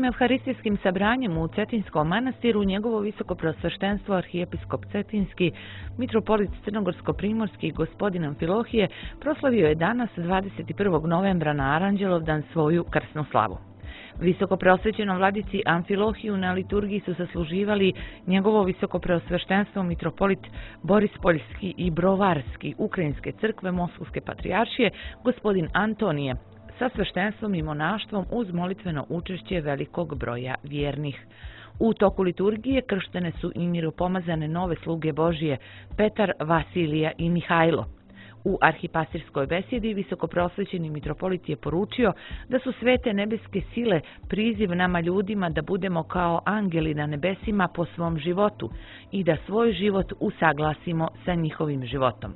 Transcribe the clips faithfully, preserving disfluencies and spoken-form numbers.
Svojim evharistijskim sabranjem u Cetinskom manastiru njegovo visoko preosveštenstvo arhijepiskop Cetinski, mitropolit Crnogorsko-primorski gospodin Amfilohije proslavio je danas dvadeset prvog novembra na Aranđelovdan svoju krsnu slavu. Visoko preosvećenom vladici Amfilohiju na liturgiji su sasluživali njegovo visoko preosveštenstvo mitropolit Borispoljski i Brovarski Ukrajinske crkve Moskovske patrijaršije gospodin Antonije, sa sveštenstvom i monaštvom uz molitveno učešće velikog broja vjernih. U toku liturgije krštene su i miropomazane nove sluge Božije Petar, Vasilija i Mihajlo. U arhipastirskoj besedi visokopreosvećeni mitropolit je poručio da su svete nebeske sile priziv nama ljudima da budemo kao angeli na nebesima po svom životu i da svoj život usaglasimo sa njihovim životom.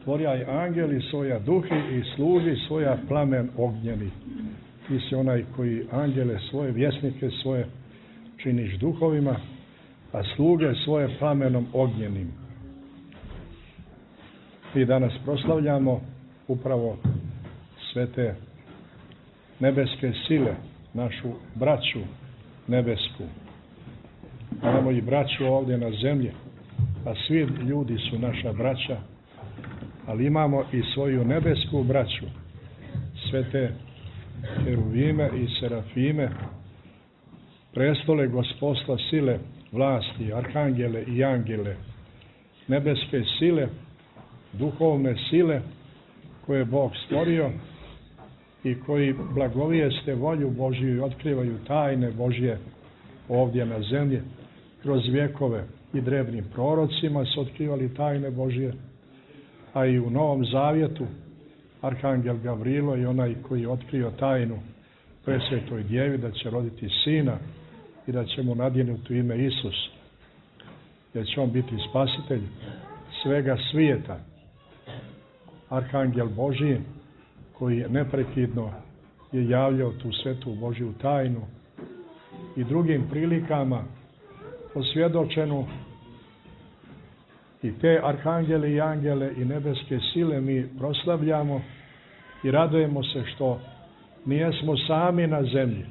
Tvorjaj angeli svoja duhi i služi svoja plamen ognjeni. Ti si onaj koji angele svoje, vjesnike svoje činiš duhovima, a sluge svoje plamenom ognjenim. Mi danas proslavljamo upravo sve te nebeske sile, našu braću nebesku. Imamo i braću ovdje na zemlji, a svi ljudi su naša braća, ali imamo i svoju nebesku braću, sve te heruvime i serafime, prestole gospodstva sile, vlasti, arhangele i angele, nebeske sile, duhovne sile koje Bog stvorio i koji blagovijeste volju Božju i otkrivaju tajne Božje ovdje na zemlji. Kroz vjekove i drevnim prorocima su otkrivali tajne Božje, a i u Novom Zavjetu arhangel Gavrilo je onaj koji je otkrio tajnu presvetoj djevi da će roditi sina i da će mu nadjenuti ime Isus, jer će on biti spasitelj svega svijeta. Arhangel Božji koji je neprekidno je javljao tu svetu Božju tajnu i drugim prilikama posvjedočenu. I te arhangele i angele i nebeske sile mi proslavljamo i radujemo se što nijesmo sami na zemlji,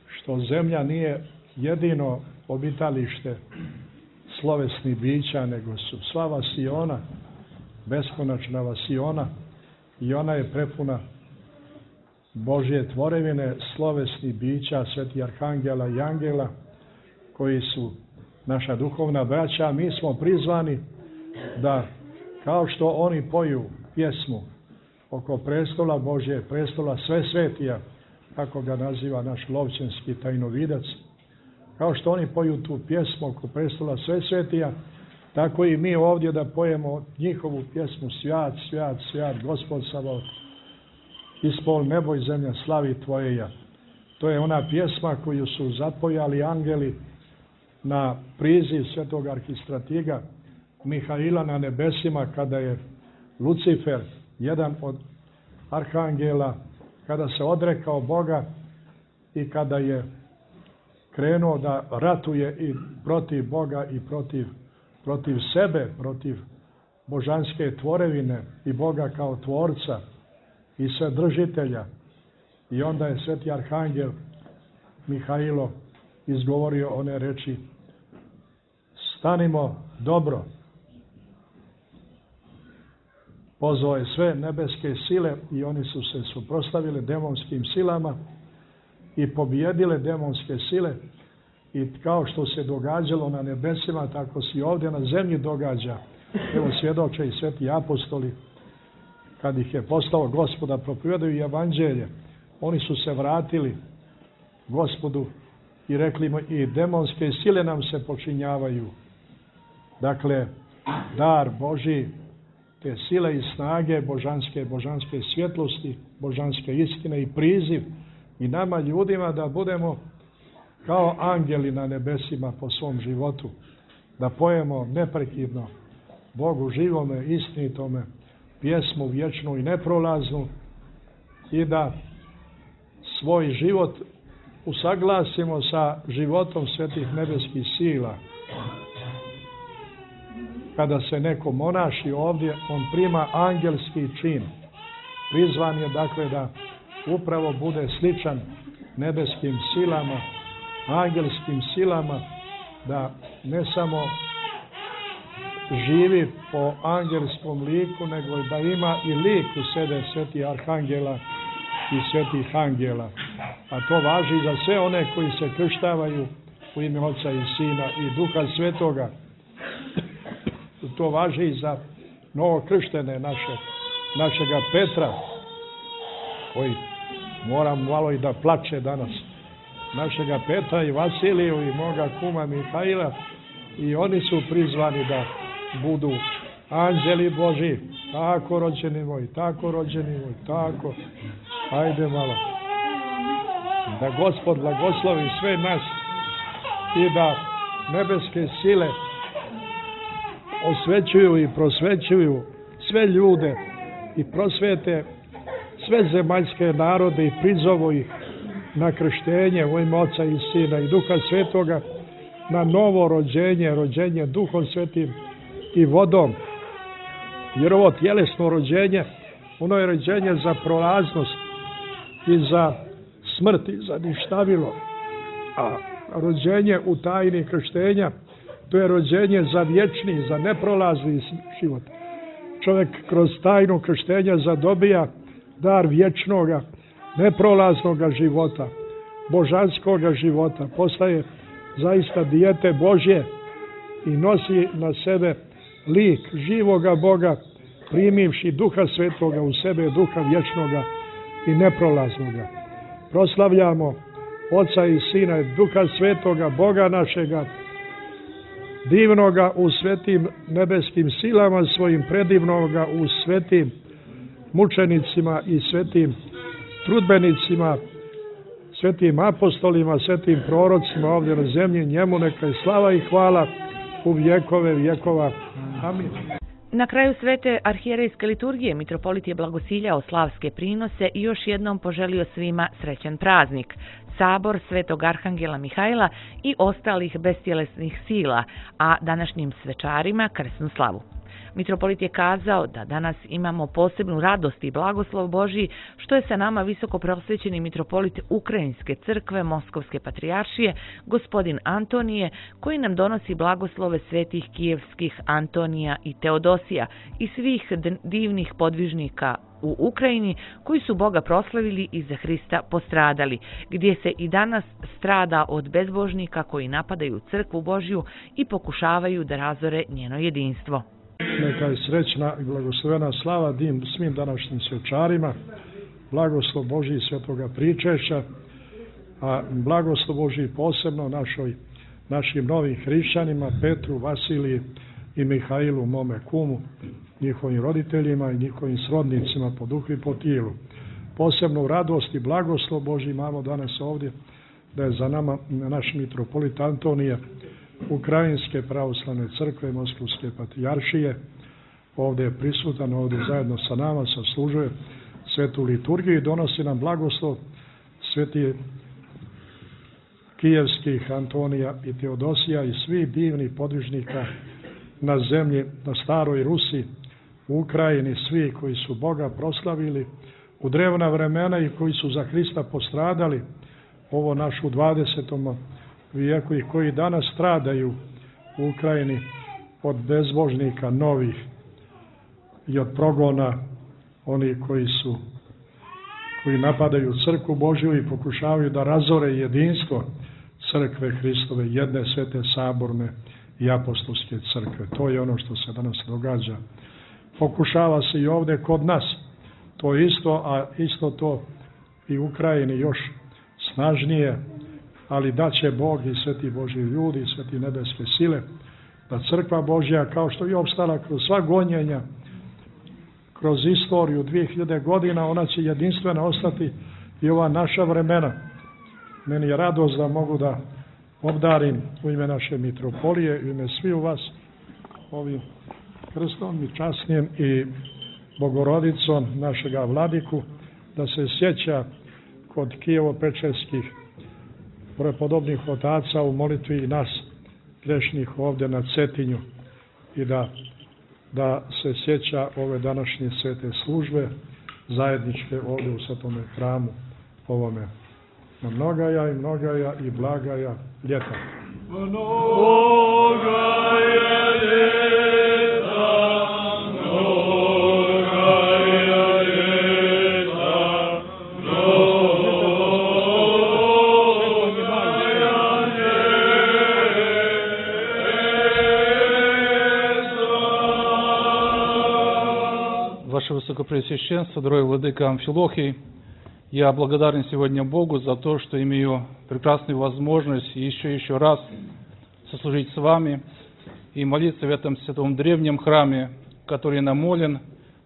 što zemlja nije jedino obitalište slovesnih bića, nego su sva vasiona, beskonačna vasiona, i ona je prepuna Božje tvorevine, slovesnih bića, sveti arhangela i angela, koji su naša duhovna braća. Mi smo prizvani da, kao što oni poju pjesmu oko prestola Božje, prestola sve svetija, kako ga naziva naš lovčanski tajnovidac, kao što oni poju tu pjesmu oko prestola sve svetija, tako i mi ovdje da pojemo njihovu pjesmu Svjat, svjat, svjat, Gospod Sabaot, ispol nebo i zemlja slavi Tvojeja. To je ona pjesma koju su zapojali angeli na priziv svetog arhistratiga Mihaila na nebesima, kada je Lucifer, jedan od arhangela, kada se odrekao Boga i kada je krenuo da ratuje i protiv Boga i protiv, protiv sebe, protiv božanske tvorevine i Boga kao tvorca i sadržitelja. I onda je sveti arhangel Mihailo izgovorio one reči: stanimo dobro. Pozvao je sve nebeske sile i oni su se suprotstavili demonskim silama i pobijedile demonske sile. I kao što se događalo na nebesima, tako se i ovdje na zemlji događa. Evo svjedoče i sveti apostoli, kad ih je postao Gospoda, propovijedaju evanđelje. Oni su se vratili Gospodu i rekli mu: i demonske sile nam se počinjavaju. Dakle, dar Božji, te sile i snage božanske, božanske svjetlosti, božanske istine i priziv i nama ljudima da budemo kao angeli na nebesima po svom životu, da pojemo neprekidno Bogu živome, istinitome, pjesmu vječnu i neprolaznu i da svoj život usaglasimo sa životom svetih nebeskih sila. Kada se neko monaši ovdje, on prima angelski čin. Prizvan je dakle da upravo bude sličan nebeskim silama, angelskim silama, da ne samo živi po angelskom liku, nego da ima i lik u sebe svetih arhangela i svetih angela. A to važi za sve one koji se krštavaju u ime Oca i Sina i Duha Svetoga. To važi i za novokrštene naše, našega Petra, koji moram malo i da plače danas, našega Petra i Vasiliju i moga kuma Mihajla, i oni su prizvani da budu anđeli Boži. Tako, rođeni moj, tako, rođeni moj, tako. Ajde malo. Da Gospod blagoslovi sve nas i da nebeske sile osvećuju i prosvećuju sve ljude i prosvete sve zemaljske narode i prizovu ih na krštenje u ime Oca i Sina i Duha Svetoga, na novo rođenje, rođenje Duhom Svetim i vodom. Jer ovo tjelesno rođenje, ono je rođenje za prolaznost i za smrt i za ništavilo. A rođenje u tajni krštenja, to je rođenje za vječni, za neprolazni život. Čovjek kroz tajnu krštenja zadobija dar vječnoga, neprolaznoga života, božanskoga života. Postaje zaista dijete Božje i nosi na sebe lik živoga Boga, primivši Duha Svetoga u sebe, Duha vječnoga i neprolaznoga. Proslavljamo Oca i Sina i Duha Svetoga, Boga našega, divnoga u svetim nebeskim silama svojim, predivnoga u svetim mučenicima i svetim trudbenicima, svetim apostolima, svetim prorocima ovdje na zemlji. Njemu neka je slava i hvala u vjekove vjekova. Amin. Na kraju svete arhijerejske liturgije mitropolit je blagosiljao slavske prinose i još jednom poželio svima srećan praznik, sabor svetog arhangela Mihajla i ostalih bestjelesnih sila, a današnjim svečarima krsnu slavu. Mitropolit je kazao da danas imamo posebnu radost i blagoslov Božji, što je sa nama visoko prosvećeni mitropolit Ukrajinske crkve Moskovske patrijaršije, gospodin Antonije, koji nam donosi blagoslove svetih kijevskih Antonija i Teodosija i svih divnih podvižnika u Ukrajini koji su Boga proslavili i za Hrista postradali, gdje se i danas strada od bezbožnika koji napadaju crkvu Božju i pokušavaju da razore njeno jedinstvo. Neka je srećna i blagoslovena slava dim svim današnjim svečarima, blagoslov Božji svetoga pričešća, a blagoslov Božji posebno našoj, našim novim hrišćanima, Petru, Vasiliji i Mihajlu, mome kumu, njihovim roditeljima i njihovim srodnicima po duhu i po tijelu. Posebnu radost i blagoslov Božji imamo danas ovdje, da je za nama naš mitropolit Antonije, Ukrajinske pravoslavne crkve Moskovske patrijaršije, ovdje je prisutan, ovdje zajedno sa nama saslužuje svetu liturgiju i donosi nam blagoslov sveti kijevskih Antonija i Teodosija i svih divnih podvižnika na zemlji, na staroj Rusi, u Ukrajini, svi koji su Boga proslavili u drevna vremena i koji su za Hrista postradali ovo našu dvadesetom vijeku i koji danas stradaju u Ukrajini od bezbožnika novih i od progona oni koji su koji napadaju crkvu Božju i pokušavaju da razore jedinstvo crkve Hristove, jedne svete saborne i apostolske crkve. To je ono što se danas događa. Pokušava se i ovdje kod nas to isto, a isto to i u Ukrajini još snažnije, ali da će Bog i sveti Božji ljudi i sveti nebeske sile, da crkva Božja, kao što je opstala kroz sva gonjenja, kroz istoriju dvije hiljade godina, ona će jedinstvena ostati i ova naša vremena. Meni je radost da mogu da obdarim u ime naše mitropolije, u ime svi u vas ovim krstom i časnijem i Bogorodicom našega vladiku, da se sjeća kod Kijevo-Pečerskih prepodobnih otaca u molitvi i nas grešnih ovdje na Cetinju i da, da se sjeća ove današnje svete službe zajedničke ovdje u svetome hramu ovome Mnogaja i mnogaja i blagaja ljeta. Mnogaja ljeta, mnogaja ljeta, Ваше Высокопреосвященство, дорогой владыка Амфилохий, я благодарен сегодня Богу за то, что имею прекрасную возможность еще еще раз сослужить с вами и молиться в этом святом древнем храме, который намолен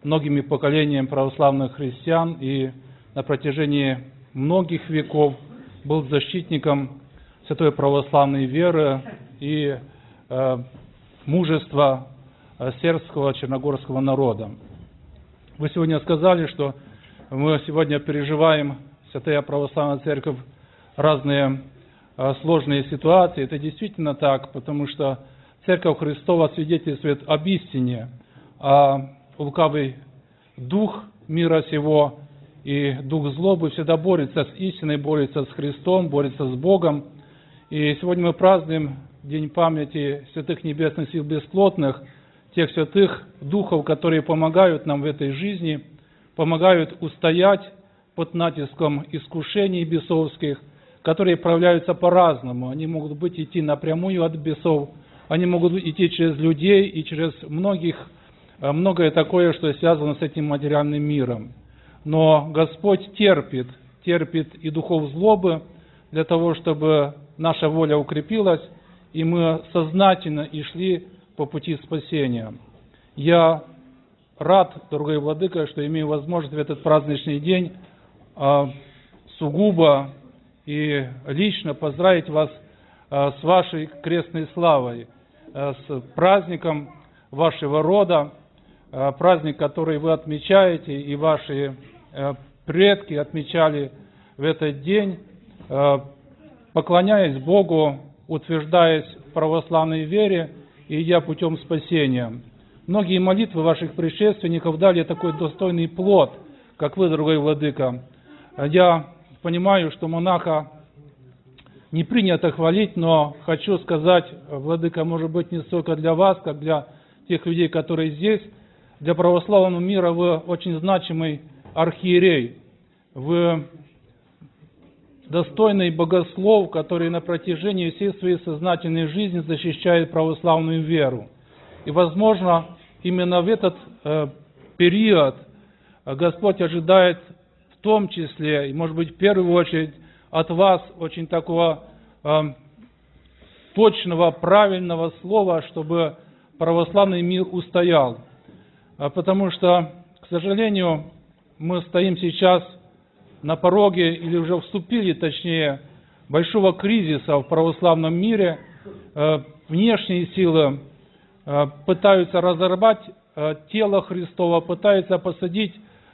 многими поколениями православных христиан и на протяжении многих веков был защитником святой православной веры и э, мужества э, сербского черногорского народа. Вы сегодня сказали, что мы сегодня переживаем, Святая Православная Церковь, разные э, сложные ситуации. Это действительно так, потому что Церковь Христова свидетельствует об истине, а лукавый дух мира сего и дух злобы всегда борется с истиной, борется с Христом, борется с Богом. И сегодня мы празднуем День памяти святых небесных сил бесплотных, тех святых духов, которые помогают нам в этой жизни, помогают устоять под натиском искушений бесовских, которые проявляются по-разному. Они могут быть идти напрямую от бесов, они могут идти через людей и через многих, многое такое, что связано с этим материальным миром. Но Господь терпит, терпит и духов злобы для того, чтобы наша воля укрепилась, и мы сознательно и шли по пути спасения. Я рад, дорогой владыка, что имею возможность в этот праздничный день а, сугубо и лично поздравить вас а, с вашей крестной славой, а, с праздником вашего рода, а, праздник, который вы отмечаете, и ваши а, предки отмечали в этот день, а, поклоняясь Богу, утверждаясь в православной вере и идя путем спасения. Многие молитвы ваших предшественников дали такой достойный плод, как вы, дорогой владыка. Я понимаю, что монаха не принято хвалить, но хочу сказать, владыка, может быть, не столько для вас, как для тех людей, которые здесь. Для православного мира вы очень значимый архиерей. Вы достойный богослов, который на протяжении всей своей сознательной жизни защищает православную веру. И, возможно, именно в этот э, период Господь ожидает в том числе, и, может быть, в первую очередь, от вас очень такого э, точного, правильного слова, чтобы православный мир устоял. Потому что, к сожалению, мы стоим сейчас на пороге, или уже вступили, точнее, большого кризиса в православном мире. Э, внешние силы пытаются разорвать тело Христова, пытаются посадить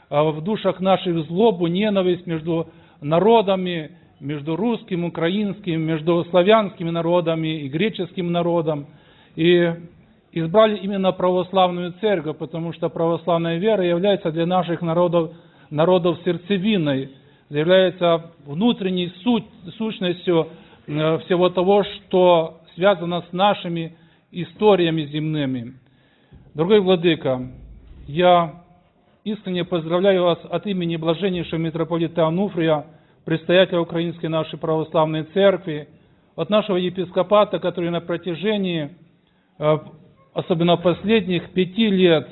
в душах наших злобу, ненависть между народами, между русским, украинским, между славянскими народами и греческим народом. И избрали именно православную церковь, потому что православная вера является для наших народов, народов сердцевиной, является внутренней суть, сущностью всего того, что связано с нашими историями земными. Дорогой владыка, я искренне поздравляю вас от имени блаженнейшего митрополита Ануфрия, предстоятеля Украинской нашей православной церкви, от нашего епископата, который на протяжении, особенно последних пяти лет,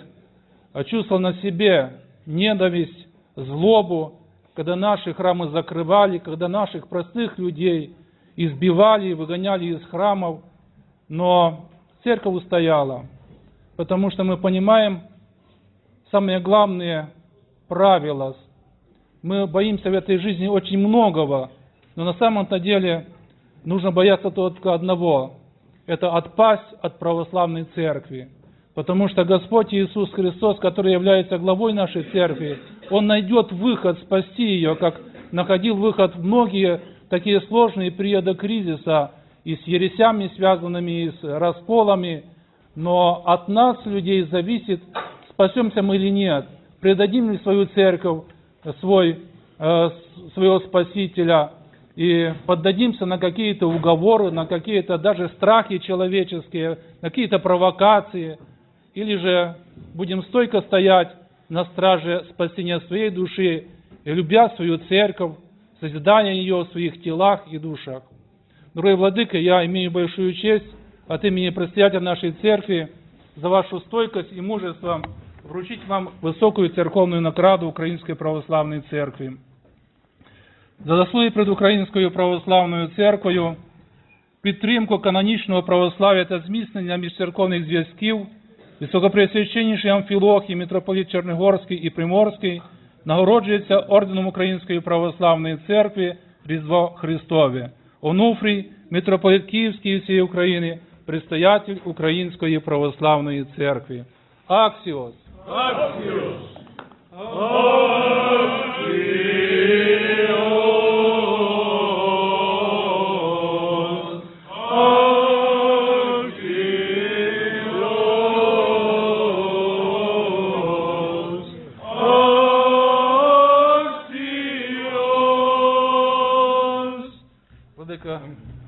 чувствовал на себе ненависть, злобу, когда наши храмы закрывали, когда наших простых людей избивали, выгоняли из храмов, но церковь устояла, потому что мы понимаем самые главные правила. Мы боимся в этой жизни очень многого, но на самом-то деле нужно бояться только одного – это отпасть от православной церкви. Потому что Господь Иисус Христос, который является главой нашей церкви, Он найдет выход спасти ее, как находил выход в многие такие сложные периоды кризиса, и с ересями связанными, и с расколами. Но от нас, людей, зависит, спасемся мы или нет, предадим ли свою церковь, свой, э, своего Спасителя, и поддадимся на какие-то уговоры, на какие-то даже страхи человеческие, на какие-то провокации, или же будем стойко стоять на страже спасения своей души и любя свою церковь, созидания ее в своих телах и душах. Дорогой Владыка, я имею большую честь от имени предстоятеля нашей церкви за вашу стойкость и мужество вручить вам высокую церковную награду Української православної церкви. За заслуги перед Українською православною церквою, підтримку канонічного православ'я та зміцнення міжцерковних зв'язків, Високопреосвященніший Амфілохій, митрополит Чернігорський і Приморський нагороджується орденом Української православної церкви Різдво Христове. Онуфрій, митрополит Київський і всієї України, предстоятель Української православної церкви. Аксіос! Аксіос!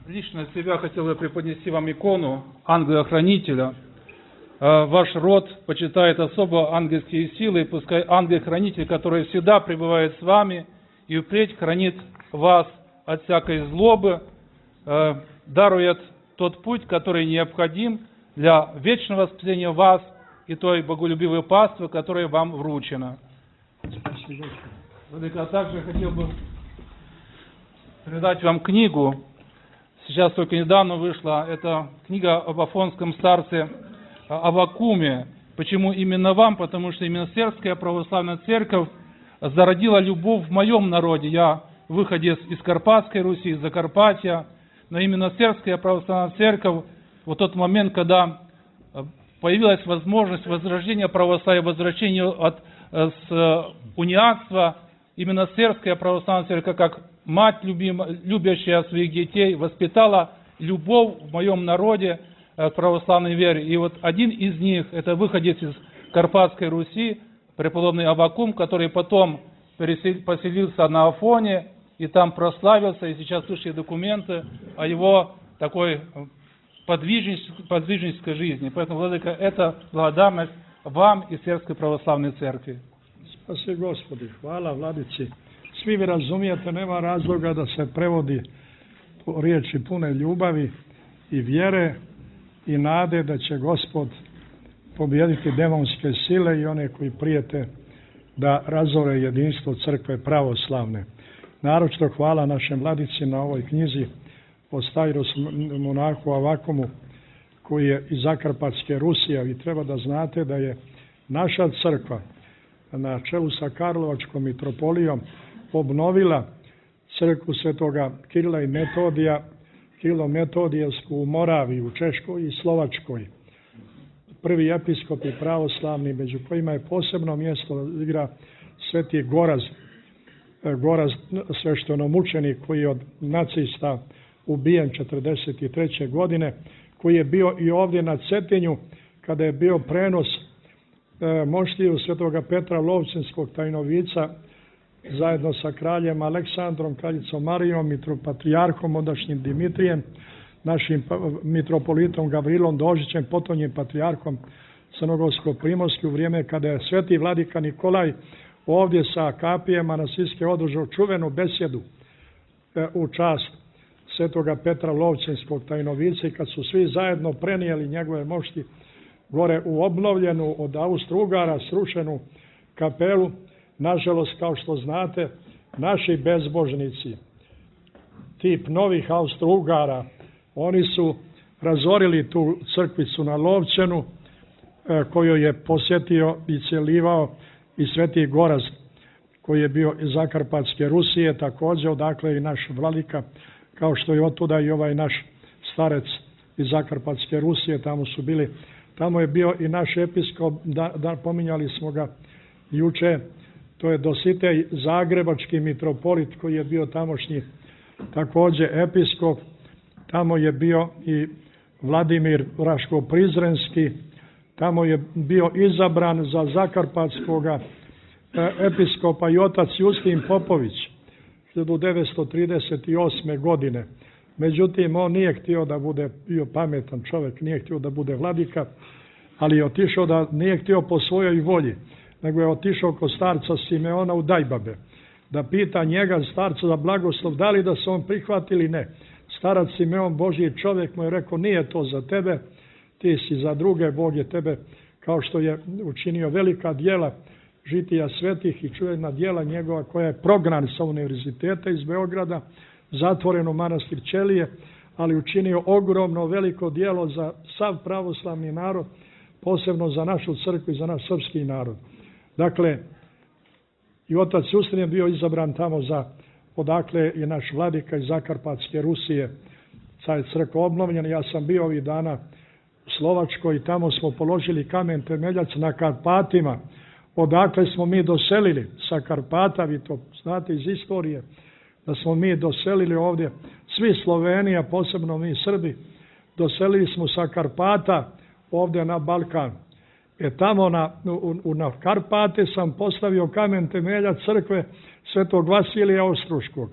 Лично от себя хотел бы преподнести вам икону ангела-хранителя. Ваш род почитает особо ангельские силы, пускай ангел-хранитель, который всегда пребывает с вами и впредь хранит вас от всякой злобы, дарует тот путь, который необходим для вечного спасения вас и той боголюбивой паствы, которая вам вручена. А также хотел бы передать вам книгу. Сейчас только недавно вышла эта книга об афонском старце Аввакуме. Почему именно вам? Потому что именно Сербская православная церковь зародила любовь в моем народе. Я выходец из Карпатской Руси, из Закарпатья. Но именно Сербская православная церковь, в тот момент, когда появилась возможность возрождения православия, возвращения от с униатства, именно Сербская православная церковь, как мать, любимая, любящая своих детей, воспитала любовь в моем народе к православной вере. И вот один из них, это выходец из Карпатской Руси, преподобный Аввакум, который потом поселился на Афоне и там прославился, и сейчас вышли документы о его такой подвижнической, подвижнической жизни. Поэтому, Владыка, это благодарность вам и Сербской православной церкви. Spasi Gospodi, hvala Vladici. Svi vi razumijete, nema razloga da se prevodi po riječi pune ljubavi i vjere i nade da će Gospod pobijediti demonske sile i one koji prijete da razore jedinstvo crkve pravoslavne. Naročito hvala našem Vladici na ovoj knjizi o Stairos monahu Avvakumu, koji je iz Zakarpatske Rusije. Vi treba da znate da je naša crkva na čelu sa Karlovačkom mitropolijom obnovila crkvu svetoga Kirila i Metodija, Kirilo-Metodijevsku u Moraviji, u Češkoj i Slovačkoj. Prvi episkopi pravoslavni, među kojima je posebno mjesto igra sveti Goraz, Goraz sveštenomučenik koji je od nacista ubijen četrdeset treće godine, koji je bio i ovdje na Cetinju kada je bio prenos e, moštiju svetoga Petra Lovćenskog tajnovica zajedno sa kraljem Aleksandrom, kraljicom Marijom, mitropatrijarhom ondašnjim Dimitrijem, našim mitropolitom Gavrilom Dožićem, potonjim patrijarhom Crnogorsko-Primorski, u vrijeme kada je sveti vladika Nikolaj ovdje sa kapijama na Siske održao čuvenu besjedu e, u čast svetoga Petra Lovćenskog tajnovica, i kad su svi zajedno prenijeli njegove mošti gore u obnovljenu od Austro-Ugara srušenu kapelu, nažalost, kao što znate, naši bezbožnici, tip novih Austro-Ugara, oni su razorili tu crkvicu na Lovćenu, koju je posjetio i celivao i sveti Goraz, koji je bio iz Zakarpatske Rusije, također odakle i naš vladika, kao što je otuda i ovaj naš starec iz Zakarpatske Rusije, tamo su bili, tamo je bio i naš episkop, da, da pominjali smo ga juče, to je Dositej Zagrebački mitropolit, koji je bio tamošnji također episkop, tamo je bio i Vladimir Raško-Prizrenski, tamo je bio izabran za Zakarpatskoga episkopa i otac Justin Popović. hiljadu devetsto trideset osme. godine. Međutim, on nije htio da bude, bio pametan čovjek, nije htio da bude vladika, ali je otišao da, nije htio po svojoj volji, nego je otišao kod starca Simeona u Dajbabe, da pita njega, starca, za blagoslov, da li da se on prihvati ili ne. Starac Simeon, Božji čovjek, mu je rekao, nije to za tebe, ti si za druge, Bog je tebe, kao što je učinio velika djela žitija svetih i čuvena djela njegova, koja je prognan sa univerziteta iz Beograda, zatvoren u manastir Ćelije, ali učinio ogromno veliko djelo za sav pravoslavni narod, posebno za našu crkvu i za naš srpski narod. Dakle, i otac Justin je bio izabran tamo za, odakle je naš vladika iz Zakarpatske Rusije, sad je crkva obnovljena. Ja sam bio ovih dana u Slovačkoj i tamo smo položili kamen temeljac na Karpatima, odakle smo mi doselili sa Karpata, vi to znate iz istorije, da smo mi doselili ovdje, svi Slovenija, posebno mi Srbi, doselili smo sa Karpata ovdje na Balkan. E tamo na, u, na Karpate sam postavio kamen temeljac crkve Svetog Vasilija Ostruškog.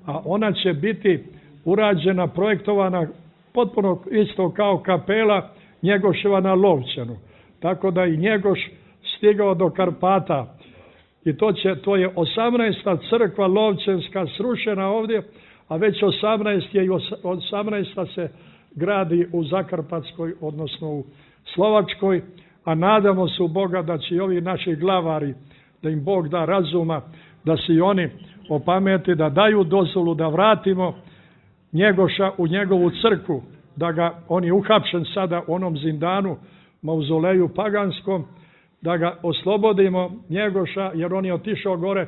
A ona će biti urađena, projektovana potpuno isto kao kapela Njegoševa na Lovćenu. Tako da i Njegoš stigao do Karpata. I to, će, to je osamnaesta crkva Lovćenska srušena ovdje, a već osamnaesta je i osamnaesta se gradi u Zakarpatskoj, odnosno u Slovačkoj, a nadamo se u Boga da će i ovi naši glavari, da im Bog da razuma, da se i oni opameti, da daju dozvolu da vratimo Njegoša u njegovu crkvu, da ga, on je uhapšen sada u onom zindanu, mauzoleju paganskom, da ga oslobodimo Njegoša, jer on je otišao gore,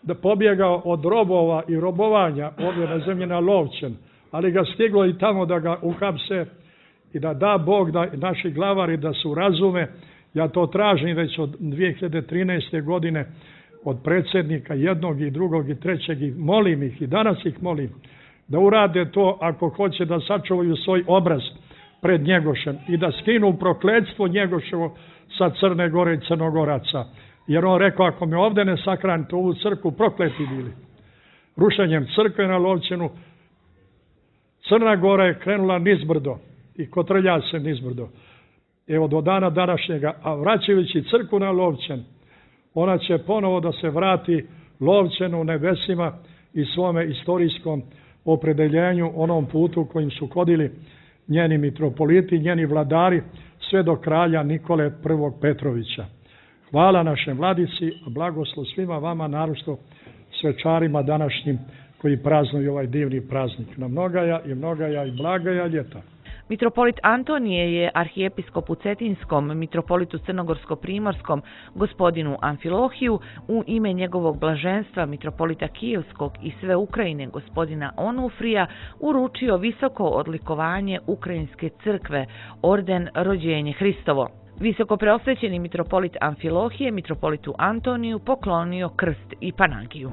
da pobjegao od robova i robovanja ovdje na zemlji na Lovćen, ali ga stiglo i tamo da ga uhapse i da da Bog da naši glavari da se razume. Ja to tražim već od dvije hiljade trinaeste. godine od predsjednika jednog i drugog i trećeg i molim ih i danas ih molim da urade to ako hoće da sačuvaju svoj obraz pred Njegošem i da skinu prokletstvo Njegoševo sa Crne Gore i Crnogoraca. Jer on rekao, ako me ovdje ne sakranite ovu crkvu, prokleti bili. Rušenjem crkve na Lovćenu Crna Gora je krenula nizbrdo i kotrlja se nizbrdo. Evo do dana današnjega, a vraćajući crkvu na Lovćen, ona će ponovo da se vrati Lovćenu u nebesima i svome istorijskom opredeljenju, onom putu kojim su hodili njeni mitropoliti, njeni vladari, sve do kralja Nikole prvog Petrovića. Hvala našem vladici, a blagoslov svima vama, naročito svečarima današnjim koji praznuju ovaj divni praznik. Na mnogaja i mnogaja i blagaja ljeta. Mitropolit Antonije je arhijepiskop u Cetinskom, mitropolitu Crnogorsko-primorskom, gospodinu Amfilohiju, u ime njegovog blaženstva, mitropolita Kijevskog i sve Ukrajine, gospodina Onufrija, uručio visoko odlikovanje Ukrajinske crkve, orden Rođenje Hristovo. Visoko preosvećeni mitropolit Amfilohije, mitropolitu Antoniju, poklonio krst i panagiju.